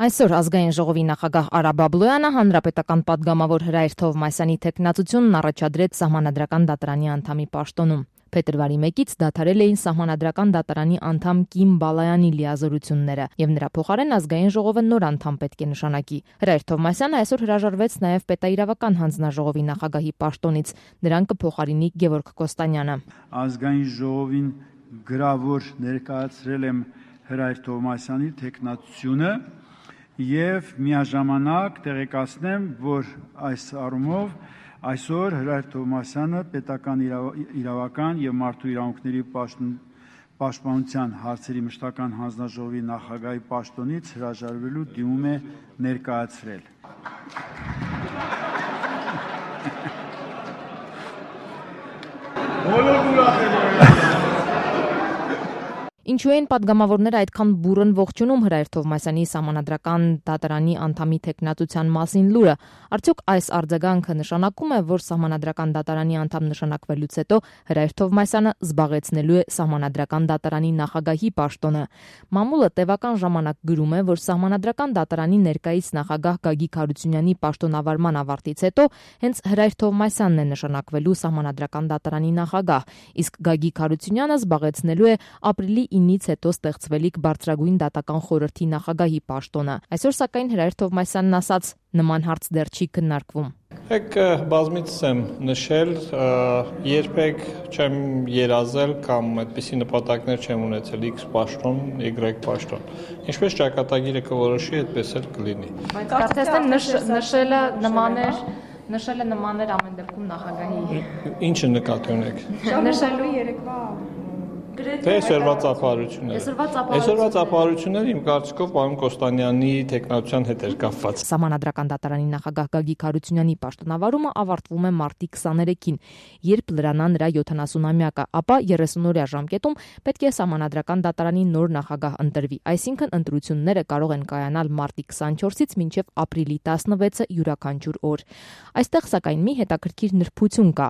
Այսօր ազգային ժողովի նախագահ Արա Բաբլոյանը հանրապետական պատգամավոր Հրայր Թովմասյանի թեկնածությունն առաջադրեց Սահմանադրական դատարանի անդամի պաշտոնում։ Փետրվարի 1-ից դադարել էին Սահմանադրական դատարանի անդամ Կիմ Բալայանի լիազորությունները, եւ նրա փոխարեն ազգային ժողովը նոր անդամ պետք է նշանակի։ Հրայր Թովմասյանը այսօր հրաժարվեց նաեւ պետաիրավական հանձնաժողովի նախագահի պաշտոնից, նրան կփոխարինի Գևորգ Կոստանյանը։ Ազգային ժողովին գրավոր ներկայացրել եմ Հրայր Թովմասյանի թեկնածությունը եւ միաժամանակ տեղեկացնեմ, որ այս առումով այսօր Հրայր Թովմասյանը պետական իրավական եւ մարդու իրավունքների պաշտպանության հարցերի մշտական հանձնաժողովի նախագահի պաշտոնից հրաժարվելու դիմում է ներկայացրել։ Ինչու են պատգամավորները այդքան բուռն ողջունում Հրայր Թովմասյանի Սահմանադրական դատարանի անդամի թեկնածության մասին լուրը։ Արդյոք այս արձագանքը նշանակում է, որ Սահմանադրական դատարանի անդամ նշանակվելուց հետո Հրայր Թովմասյանը զբաղեցնելու է Սահմանադրական դատարանի նախագահի պաշտոնը։ Մամուլը տևական ժամանակ գրում է, որ Սահմանադրական դատարանի ներկայիս նախագահ Գագիկ Հարությունյանի պաշտոնավարման ավարտից հետո հենց Հրայր Թովմասյանն է նշանակվելու Սահմանադրական դատարանի նախագահ, իսկ Գագիկ Հարությունյանը զբաղեցնելու է ապրիլի 9-ից հետո ստեղծվելիք բարձրագույն դատական խորհրդի նախագահի պաշտոնը։ Այսօր սակայն Հրայր Թովմասյանն ասաց, նման հարց դեռ չի քննարկվում։ Բազմիցս եմ նշել, երբեք չեմ երազել կամ այդպիսի նպատակներ չեմ ունեցել X պաշտոն, Y պաշտոն։ Ինչպես ճակատագիրը կորոշի, այդպես էլ կլինի։ Բայց կարծես նշելը նման էր ամեն դեպքում նախագահի։ Ինչը նկատի ունեք։ Նշելու երեկվա Այսօրվա ծափահարությունները իմ կարծիքով պարոն Կոստանյանի թեկնածության հետ էր կապված։ Սահմանադրական դատարանի նախագահ Գագիկ Հարությունյանի պաշտոնավարումը ավարտվում է մարտի 23-ին, երբ լրանա նրա 70-ամյակը, ապա 30-օրյա ժամկետում պետք է Սահմանադրական դատարանի նոր նախագահ ընտրվի, այսինքն ընտրությունները կարող են կայանալ մարտի 24-ից մինչև ապրիլի 16-ը յուրաքանչյուր օր։ Այստեղ սակայն մի հետաքրքիր նրբություն կա,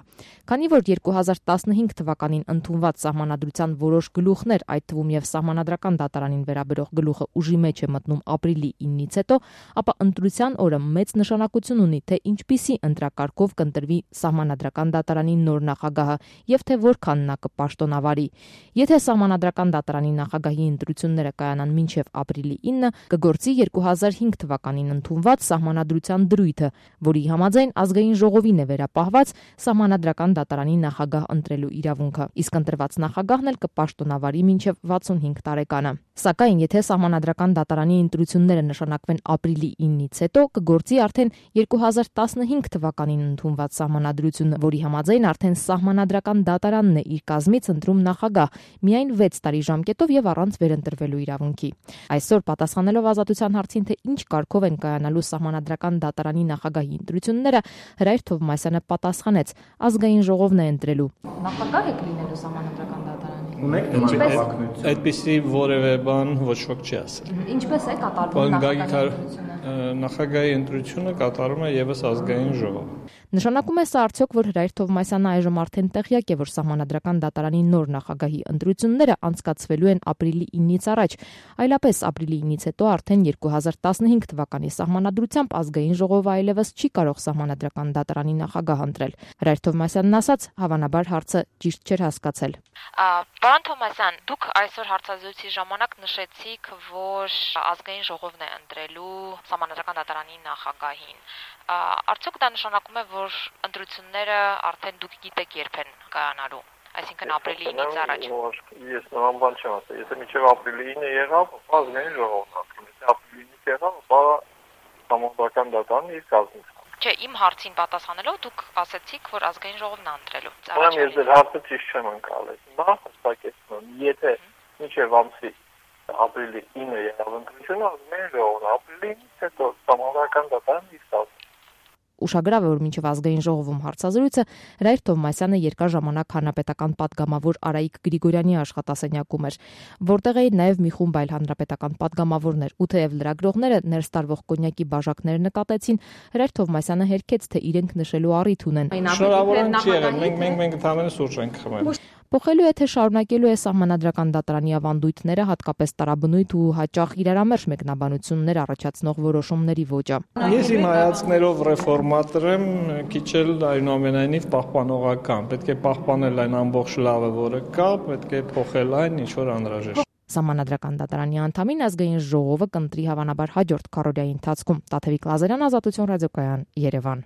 քանի որ 2015 թվականին ընդունված Սահմանադրության որոշ գլուխներ, այդ թվում եւ Սահմանադրական դատարանին վերաբերող գլուխը ուժի մեջ է մտնում ապրիլի 9-ից հետո, ապա ընտրության օրը մեծ նշանակություն ունի, թե ինչպիսի ընտրակարգով կընտրվի Սահմանադրական դատարանի նոր նախագահը եւ թե որքան նա կպաշտոնավարի։ Եթե Սահմանադրական դատարանի նախագահի ընտրությունները կայանան մինչեւ ապրիլի 9-ը, կգործի 2005 թվականին ընդունված Սահմանադրության դրույթը, որի համաձայն ազգային ժողովին է վերապահված Սահմանադրական դատարանի նախագահ ընտրելու իրավունքը, իսկ ընտրված նախագահն էլ կպաշտոնավարի մինչև 65 տարեկանը։ Սակայն եթե Սահմանադրական դատարանի ընտրությունները նշանակվեն ապրիլի 9-ից հետո, կգործի արդեն 2015 թվականին ընդունված Սահմանադրությունը, որի համաձայն արդեն Սահմանադրական դատարանն է իր կազմից ընտրում նախագահ միայն 6 տարի ժամկետով եւ առանց վերընտրվելու իրավունքի։ Այսօր պատասխանելով ազատության հարցին, թե ինչ կարգով են կայանալու Սահմանադրական դատարանի նախագահի ընտրությունները, Հրայր Թովմասյանը պատասխանեց. ազգային ժողովն է ընտրելու։ Նախագահ եք լինելու Սահմանադրական դատարանի։ Այդպիսի որևէ բան ոչ ոք չի ասել։ Ինչպես է կատարվում նախագահի ընտրությունը կատարում է եւս ազգային ժողովը։ Նշանակում է սա արդյոք, որ Հրայր Թովմասյանը այժմ արդեն տեղյակ է, որ Սահմանադրական դատարանի նոր նախագահի ընտրությունները անցկացվելու են ապրիլի 9-ից առաջ, այլապես ապրիլի 9-ից հետո արդեն 2015 թվականի Սահմանադրությամբ ազգային ժողովը այլևս չի կարող Սահմանադրական դատարանի նախագահ ընտրել։ Հրայր Թովմասյանն ասաց, հավանաբար հարցը ճիշտ չէր հասկացել։ Պարոն Թովմասյան, դուք այսօր հարցազրույցի ժամանակ նշեցիք, որ ազգային ժողովն է ընտրելու Սահմանադրական դատարանի նախագահին։ Արդյոք դա նշանակում է, որ ընտրությունները արդեն դուք գիտեք երբ են կայանալու, այսինքն ապրիլի 9-ից առաջ։ Ես նման բան չեմ ասել։ Եթե մինչև ապրիլի 9-ը եղավ, ազգային ժողովն ընտրում։ Եթե ապրիլի 9-ից եղավ, ապա Սահմանադրական դատարանը իր կազմից։ Չէ, իմ հարցին պատասխանելով դուք ասացիք, որ ազգային ժողովն է ընտրելու։ Ուրեմն ես ձեր հարցը ճիշտ չեմ ընկալել։ Նախ հստակեցնում, եթե մինչև ամսի ապրիլի 9-ը եղավ ընտրությունը, ազգային ժողովն ապրիլի 9-ից հետո Սահմանադրական դատարանը իր կազմից։ Ուշագրավ է, որ մինչև ազգային ժողովում հարցազրույցը Հրայր Թովմասյանը երկար ժամանակ հանրապետական պատգամավոր Արայիկ Գրիգորյանի աշխատասենյակում էր, որտեղ էին նաև մի խումբ այլ հանրապետական պատգամավորներ, ու թեև լրագրողները ներս տարվող կոնյակի բաժակներ նկատեցին, Հրայր Թովմասյանը հերքեց, թե իրենք նշելու առիթ ունեն։ Շնորհավորում չի եղել, մենք ընդհանրապես սուրճ ենք խմել։ Փոխելու է թե շարունակելու է սահմանադրական դատարանի ավանդույթները, հատկապես տարաբնույթ ու հաճախ իրարամերժ մեկնաբանություններ առաջացնող որոշումների ոճը։ Ես իմ հայացքներով ռեֆորմատոր եմ, քիչ էլ այնուամենայնիվ պահպանողական։ Պետք է պահպանել այն ամբողջ լավը, որը կա, պետք է փոխել այն, ինչ որ անհրաժեշտ։ Սահմանադրական դատարանի անդամին ազգային ժողովը կընտրի հավանաբար հաջորդ քառօրյայի ընթացքում։ Տաթևիկ Լազարյան, Ազատություն ռադիոկայան, Երևան։